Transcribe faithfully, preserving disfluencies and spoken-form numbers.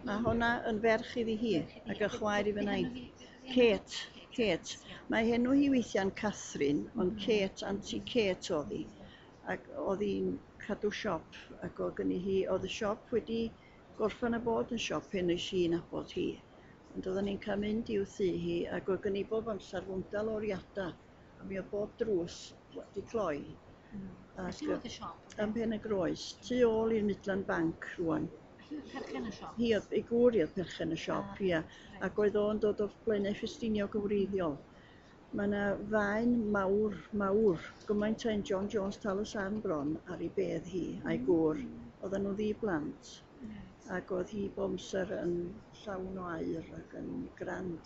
Mae honna yn ferch iddi hi ac yn chwaer i fy nain. Kate, Kate. Mae henw hi weithiau'n Catherine, ond Kate, Auntie Kate oedd hi. Ac oedd hi'n cadw siop ac oedd gynni hi, oedd y siop wedi gorffen a bod yn siop pan es i nabod hi. Ond oedden ni'n cael mynd i'w thŷ hi ac oedd gynni bob amser fwndal o oriadau. A mi oedd bob drws wedi cloi. Ac Lle oedd y siop? Yn Pen y Groes, tu ôl i'r Midland Bank rwan. Hi oedd perchen y siop? Hi oedd, ei gŵr hi oedd perchen y siop, Ah, ia. reit. Ac oedd o'n dod o Blaenau Ffestiniog yn wreiddiol. Mae yna faen mawr, mawr, gymaint â un John Jones Tal y Sarn bron ar ei bedd hi a'i gŵr. Oedden nhw ddi-blant Reit. ac oedd hi bob amser yn llawn o aur ac yn grand.